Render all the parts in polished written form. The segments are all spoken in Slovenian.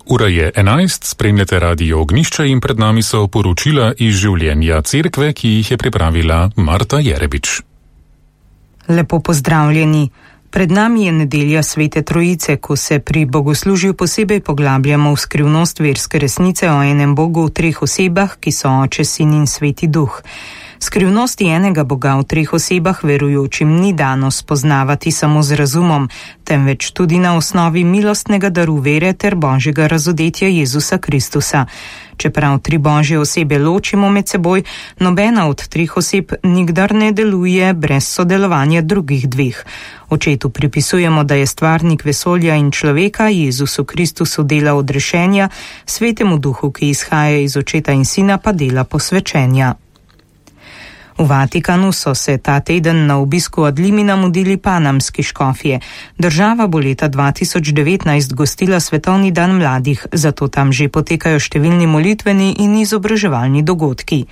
Ura je 11, spremljate Radio Ognjišče in pred nami so poročila iz življenja cerkve, ki jih je pripravila Marta Jerebič. Lepo pozdravljeni. Pred nami je nedelja Svete Trojice, ko se pri bogoslužju posebej poglabljamo v skrivnost verske resnice o enem Bogu v treh osebah, ki so Oče, Sin in Sveti Duh. Skrivnosti enega Boga v treh osebah verujočim ni dano spoznavati samo z razumom, temveč tudi na osnovi milostnega daru vere ter Božjega razodetja Jezusa Kristusa. Čeprav tri Božje osebe ločimo med seboj, nobena od treh oseb nikdar ne deluje brez sodelovanja drugih dveh. Očetu pripisujemo, da je stvarnik vesolja in človeka, Jezusu Kristusu dela odrešenja, Svetemu Duhu, ki izhaja iz Očeta in Sina, pa dela posvečenja. V Vatikanu so se ta teden na obisku ad limina mudili panamski škofje. Država bo leta 2019 gostila Svetovni dan mladih, zato tam že potekajo številni molitveni in izobraževalni dogodki.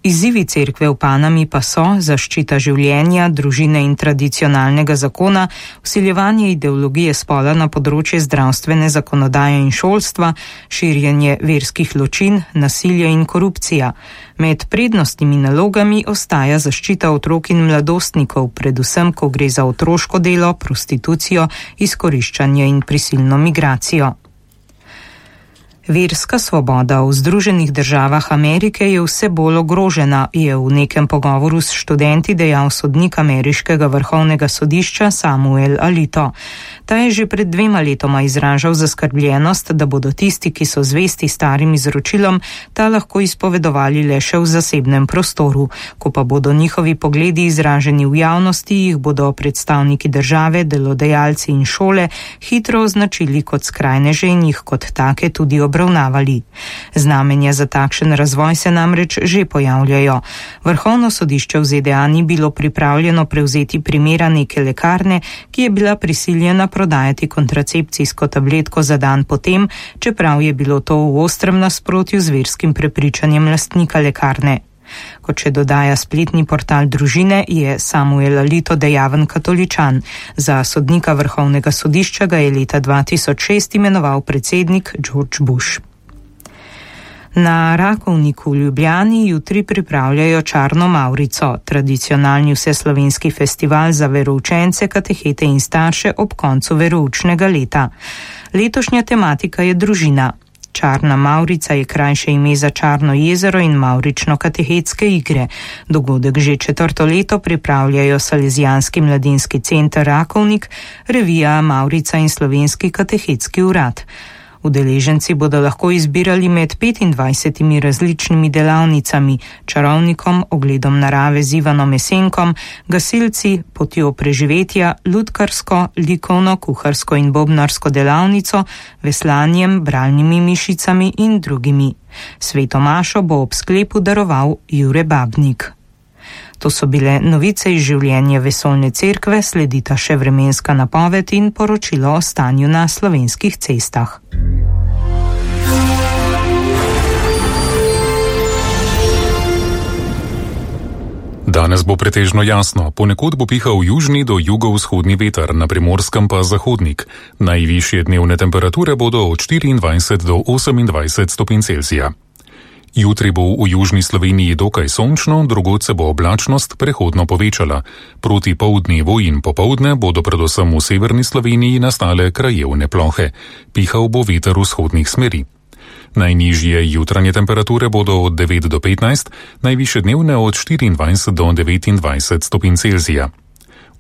Izzivi cerkve v Panami pa so zaščita življenja, družine in tradicionalnega zakona, vsiljevanje ideologije spola na področje zdravstvene zakonodaje in šolstva, širjenje verskih ločin, nasilje in korupcija. Med prednostnimi nalogami ostaja zaščita otrok in mladostnikov, predvsem ko gre za otroško delo, prostitucijo, izkoriščanje in prisilno migracijo. Verska svoboda v Združenih državah Amerike je vse bolj ogrožena, je v nekem pogovoru s študenti dejal sodnik ameriškega vrhovnega sodišča Samuel Alito. Ta je že pred 2 letoma izražal zaskrbljenost, da bodo tisti, ki so zvesti starim izročilom, ta lahko izpovedovali le še v zasebnem prostoru. Ko pa bodo njihovi pogledi izraženi v javnosti, jih bodo predstavniki države, delodajalci in šole hitro označili kot skrajneže in jih kot take tudi obravnavali. Znamenja za takšen razvoj se namreč že pojavljajo. Vrhovno sodišče v ZDA ni bilo pripravljeno prevzeti primera neke lekarne, ki je bila prisiljena prodajati kontracepcijsko tabletko za dan potem, čeprav je bilo to v ostrem nasprotju z verskim prepričanjem lastnika lekarne. Kot še dodaja spletni portal Družine, je Samuel Alito dejaven katoličan. Za sodnika vrhovnega sodišča ga je leta 2006 imenoval predsednik George Bush. Na Rakovniku v Ljubljani jutri pripravljajo Čarno Mavrico, tradicionalni vseslovenski festival za veroučence, katehete in starše ob koncu veroučnega leta. Letošnja tematika je družina. Čarna Mavrica je krajše ime za Čarno jezero in mavrično-katehetske igre. Dogodek že 4. leto pripravljajo Salezijanski mladinski center Rakovnik, revija Mavrica in Slovenski katehetski urad. Udeleženci bodo lahko izbirali med 25 različnimi delavnicami, čarovnikom, ogledom narave z Ivanom Esenkom, gasilci, potjo preživetja, lutkarsko, likovno, kuharsko in bobnarsko delavnico, veslanjem, bralnimi mišicami in drugimi. Sveto mašo bo ob sklepu daroval Jure Babnik. To so bile novice iz življenja vesoljne cerkve, sledita še vremenska napoved in poročilo o stanju na slovenskih cestah. Danes bo pretežno jasno, ponekod bo pihal južni do jugovzhodni veter, na Primorskem pa zahodnik. Najvišje dnevne temperature bodo od 24 do 28 stopinj Celzija. Jutri bo v južni Sloveniji dokaj sončno, drugod se bo oblačnost prehodno povečala. Proti poldnevu in popoldne bodo predvsem v severni Sloveniji nastale krajevne plohe. Pihal bo veter vzhodnih smeri. Najnižje jutranje temperature bodo od 9 do 15, najvišje dnevne od 24 do 29 stopinj Celzija.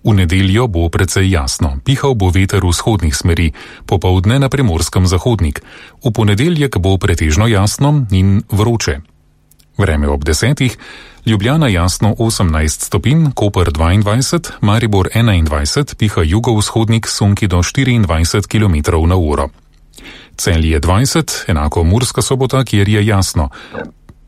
V nedeljo bo precej jasno, pihal bo veter vzhodnih smeri, popoldne na Primorskem zahodnik. V ponedeljek bo pretežno jasno in vroče. Vreme ob 10, Ljubljana jasno 18 stopinj, Koper 22, Maribor 21, piha jugovzhodnik sunki do 24 km/h. Celje 20, enako Murska Sobota, kjer je jasno.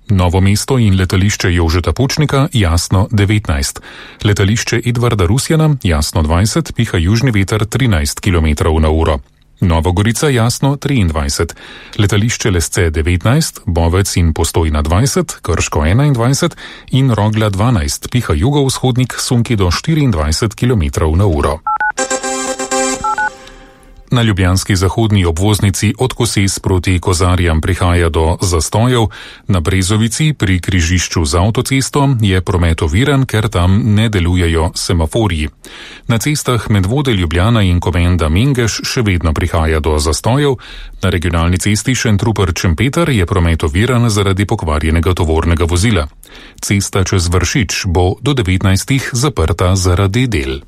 Novo mesto in letališče Jožeta Pučnika jasno 19. Letališče Edvarda Rusjana jasno 20, piha južni veter 13 km/h. Novogorica jasno 23. Letališče Lesce 19, Bovec in Postojna 20, Krško 21 in Rogla 12, piha jugovzhodnik sunki do 24 km/h. Na ljubljanski zahodni obvoznici od Koses proti Kozarjam prihaja do zastojev, na Brezovici pri križišču z avtocesto je promet oviran, ker tam ne delujejo semaforji. Na cestah Medvode Ljubljana in Komenda Mengeš še vedno prihaja do zastojev, na regionalni cesti Šentrupert-Šempeter je promet oviran zaradi pokvarjenega tovornega vozila. Cesta čez Vršič bo do 19. zaprta zaradi del.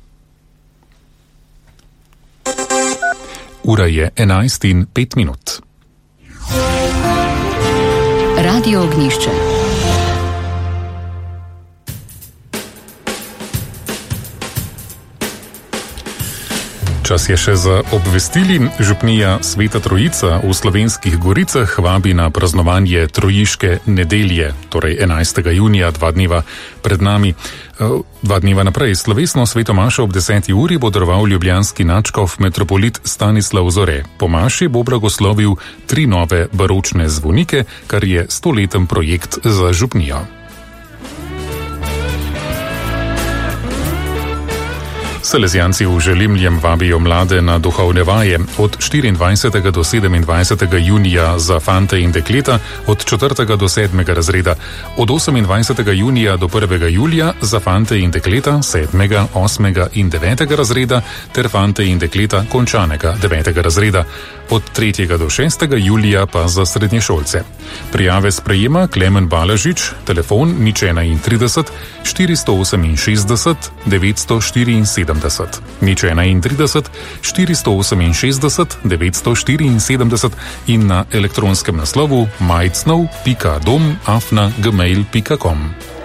Ura je 11:05. Radio Ognjišče. Čas je še za obvestili. Župnija Sveta Trojica v Slovenskih Goricah vabi na praznovanje Trojiške nedelje, torej 11. junija, 2 dneva pred nami. 2 dneva naprej slovesno sveto mašo ob 10. uri bo daroval ljubljanski nadškof metropolit Stanislav Zore. Po maši bo blagoslovil 3 nove baročne zvonike, kar je 100-leten projekt za župnijo. Salezijanci v Želimljem vabijo mlade na duhovne vaje od 24. do 27. junija za fante in dekleta, od 4. do 7. razreda, od 28. junija do 1. julija za fante in dekleta 7., 8. in 9. razreda ter fante in dekleta končanega 9. razreda, od 3. do 6. julija pa za srednješolce. Prijave sprejema Klemen Balažič, telefon 031 468 974. 031 468 974 in na elektronskem naslovu majcnov.dom@gmail.com.